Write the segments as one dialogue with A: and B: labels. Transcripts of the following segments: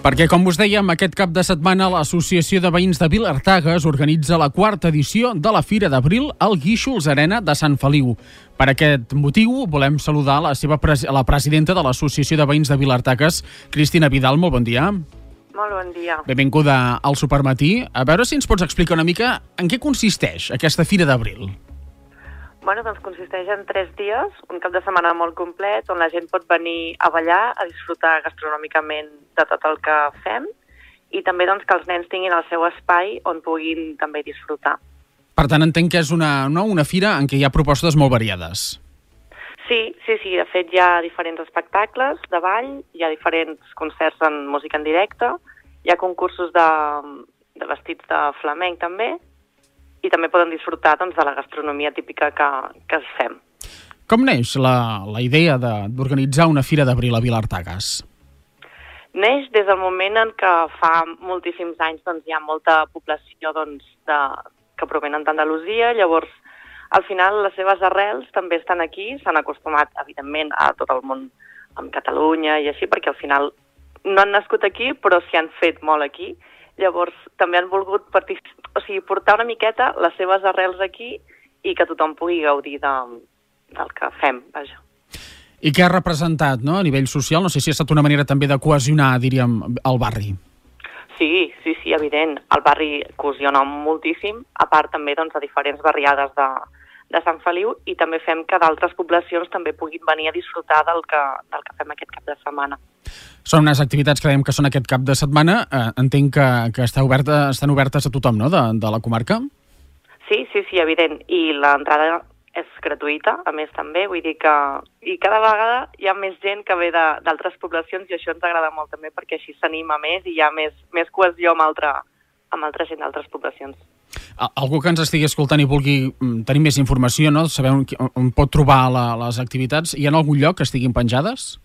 A: Perquè, com us dèiem, aquest cap de setmana l'Associació de Veïns de Vilartagas organitza la 4ª edició de la Fira d'Abril al Guíxols Arena de Sant Feliu. Per aquest motiu, volem saludar la presidenta de l'Associació de Veïns de Vilartagas, Cristina Vidal. Molt bon dia.
B: Molt bon dia.
A: Benvinguda al Supermatí. A veure si ens pots explicar una mica en què consisteix aquesta Fira d'Abril.
B: Doncs consisteix en 3 dies, un cap de setmana molt complet, on la gent pot venir a ballar, a disfrutar gastronòmicament de tot el que fem, i també que els nens tinguin el seu espai on puguin també disfrutar.
A: Per tant, entenc que és una fira en què hi ha propostes molt variades.
B: Sí, de fet hi ha diferents espectacles de ball, hi ha diferents concerts en música en directe, hi ha concursos de vestits de flamenc també, i també poden disfrutar de la gastronomia típica que fem.
A: Com neix la idea d'organitzar una Fira d'Abril a Vilartagas?
B: Neix des del moment en què fa moltíssims anys hi ha molta població que provenen d'Andalusia, llavors al final les seves arrels també estan aquí, s'han acostumat evidentment a tot el món amb Catalunya i així, perquè al final no han nascut aquí però s'hi han fet molt aquí. Llavors, també han volgut portar una miqueta les seves arrels aquí i que tothom pugui gaudir del que fem, vaja.
A: I què ha representat, a nivell social? No sé si ha estat una manera també de cohesionar, diríem, el barri.
B: Sí, evident. El barri cohesiona moltíssim, a part també de diferents barriades de Sant Feliu, i també fem que d'altres poblacions també puguin venir a disfrutar del que fem aquest cap de setmana.
A: Són unes activitats que dèiem que són aquest cap de setmana. Entenc que estan obertes a tothom, no?, de la comarca?
B: Sí, evident. I l'entrada és gratuïta, a més també. Vull dir que cada vegada hi ha més gent que ve d'altres poblacions i això ens agrada molt també perquè així s'anima més i hi ha més cohesió amb altra gent d'altres poblacions.
A: Algú que ens estigui escoltant i vulgui tenir més informació, no?, saber on pot trobar les activitats, hi ha algun lloc que estiguin penjades?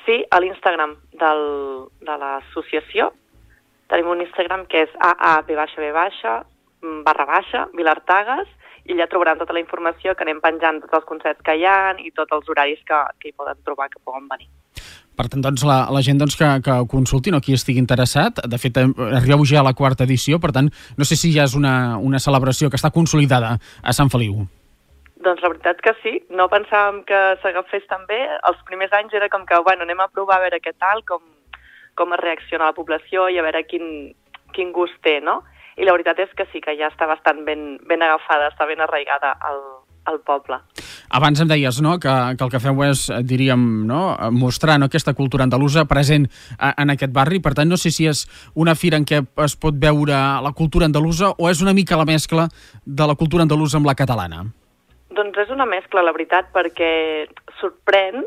B: Sí, a l'Instagram de l'associació. Tenim un Instagram que és /Vilartagas, i allà trobaran tota la informació que anem penjant, tots els concerts que hi ha i tots els horaris que hi poden trobar, que poden venir.
A: Per tant, la gent que consulti, qui estigui interessat, de fet, arribeu ja a la 4ª edició, per tant, no sé si ja és una celebració que està consolidada a Sant Feliu.
B: Doncs la veritat que sí, no pensàvem que s'agafés tan bé. Els primers anys era com que, anem a provar a veure què tal, com es reacciona la població i a veure quin gust té, no? I la veritat és que sí, que ja està bastant ben agafada, està ben arraigada al poble.
A: Abans em deies, que el que feu és, diríem, mostrar aquesta cultura andalusa present en aquest barri. Per tant, no sé si és una fira en què es pot veure la cultura andalusa o és una mica la mescla de la cultura andalusa amb la catalana.
B: Doncs és una mescla, la veritat, perquè sorprèn,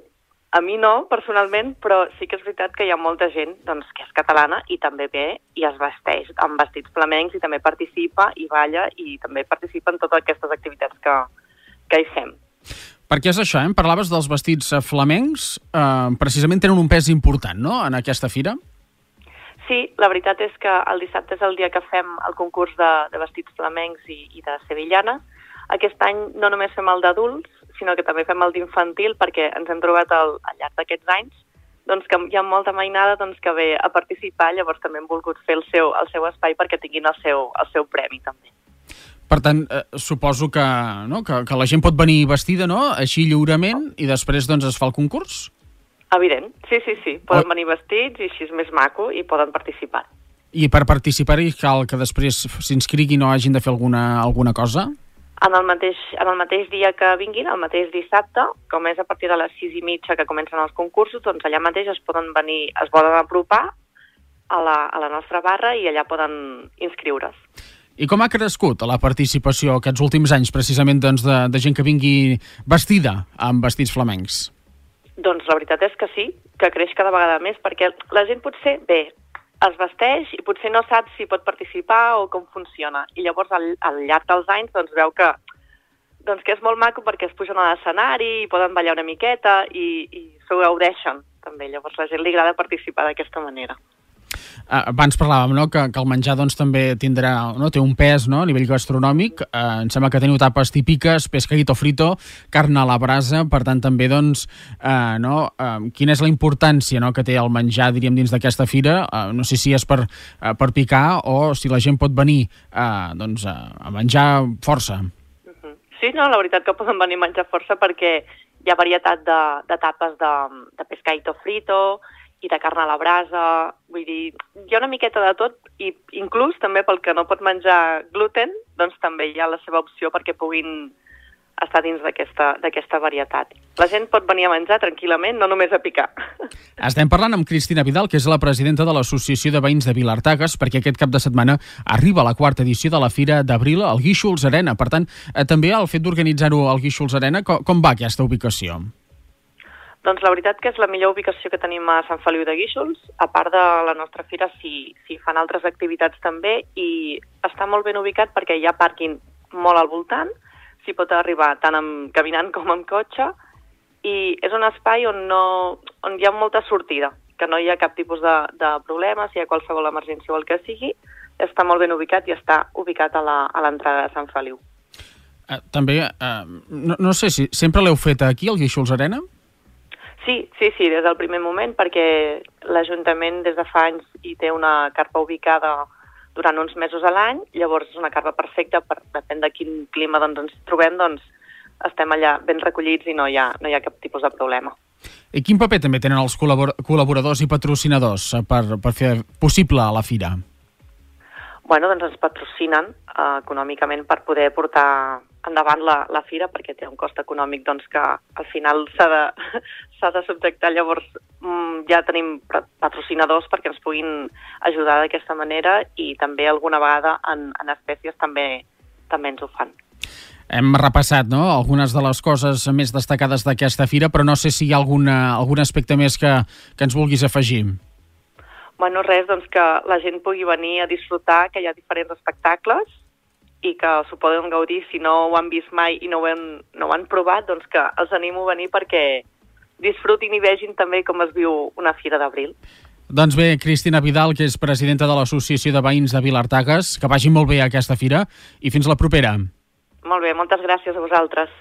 B: a mi no, personalment, però sí que és veritat que hi ha molta gent que és catalana i també ve i es vesteix amb vestits flamencs i també participa i balla i també participa en totes aquestes activitats que hi fem.
A: Per què és això, Em parlaves dels vestits flamencs, precisament tenen un pes important, no?, en aquesta fira?
B: Sí, la veritat és que el dissabte és el dia que fem el concurs de vestits flamencs i de sevillanes. Aquest any no només fem el d'adults, sinó que també fem el d'infantil, perquè ens hem trobat al llarg d'aquests anys que hi ha molta mainada que ve a participar, llavors també hem volgut fer el seu espai perquè tinguin el seu premi també.
A: Per tant, suposo que la gent pot venir vestida, així lliurement, i després es fa el concurs?
B: Evident, sí. Poden venir vestits i així és més maco i poden participar.
A: I per participar-hi cal que després s'inscriguin o hagin de fer alguna cosa?
B: En el mateix dia que vinguin, el mateix dissabte, com és a partir de les 6:30 que comencen els concursos, allà mateix es poden apropar a la nostra barra i allà poden inscriure's.
A: I com ha crescut la participació aquests últims anys, precisament, de gent que vingui vestida amb vestits flamencs?
B: Doncs la veritat és que sí, que creix cada vegada més, perquè la gent potser es vesteix i potser no sap si pot participar o com funciona. I llavors al llarg dels anys veu que és molt maco perquè es pugen a l'escenari i poden ballar una miqueta i s'ho gaudeixen també. Llavors la gent li agrada participar d'aquesta manera.
A: Abans parlàvem, no?, que el menjar doncs, també tindrà, no?, té un pes, no?, a nivell gastronòmic. Em sembla que teniu tapes típiques, pescadito frito, carn a la brasa, per tant també doncs, quina és la importància, no?, que té el menjar, diríem, dins d'aquesta fira. No sé si és per picar o si la gent pot venir a menjar força.
B: Sí, no, la veritat que poden venir a menjar força perquè hi ha varietat de tapes de pescadito frito i de carn a la brasa, vull dir, hi ha una miqueta de tot, i inclús també pel que no pot menjar gluten, doncs també hi ha la seva opció perquè puguin estar dins d'aquesta varietat. La gent pot venir a menjar tranquil·lament, no només a picar.
A: Estem parlant amb Cristina Vidal, que és la presidenta de l'Associació de Veïns de Vilartagues, perquè aquest cap de setmana arriba la 4ª edició de la Fira d'Abril al Guíxols Arena. Per tant, també el fet d'organitzar-ho al Guíxols Arena, com va aquesta ubicació?
B: Doncs la veritat que és la millor ubicació que tenim a Sant Feliu de Guíxols. A part de la nostra fira, s'hi fan altres activitats també, i està molt ben ubicat perquè hi ha pàrquing molt al voltant, s'hi pot arribar tant caminant com amb cotxe, i és un espai on hi ha molta sortida, que no hi ha cap tipus de problema, si hi ha qualsevol emergència o el que sigui, està molt ben ubicat i està ubicat a l'entrada de Sant Feliu.
A: També, no sé si sempre l'heu fet aquí, al Guíxols Arena?
B: Sí, des del primer moment, perquè l'Ajuntament des de fa anys hi té una carpa ubicada durant uns mesos a l'any, llavors és una carpa perfecta, depèn de quin clima ens trobem, doncs estem allà ben recollits i no hi ha cap tipus de problema.
A: I quin paper també tenen els col·laboradors i patrocinadors per fer possible la fira?
B: Bueno, doncs ens patrocinen econòmicament per poder portar endavant la fira, perquè té un cost econòmic doncs, que al final s'ha de subjectar. Llavors ja tenim patrocinadors perquè ens puguin ajudar d'aquesta manera, i també alguna vegada en espècies també ens ho fan.
A: Hem repassat, no?, algunes de les coses més destacades d'aquesta fira, però no sé si hi ha algun aspecte més que ens vulguis afegir.
B: Bueno, res, doncs que la gent pugui venir a disfrutar, que hi ha diferents espectacles i que s'ho poden gaudir. Si no ho han vist mai i no ho han provat, doncs que els animo a venir perquè disfrutin i vegin també com es viu una Fira d'Abril.
A: Doncs bé, Cristina Vidal, que és presidenta de l'Associació de Veïns de Vilartagues, que vagi molt bé aquesta fira i fins la propera.
B: Molt bé, moltes gràcies a vosaltres.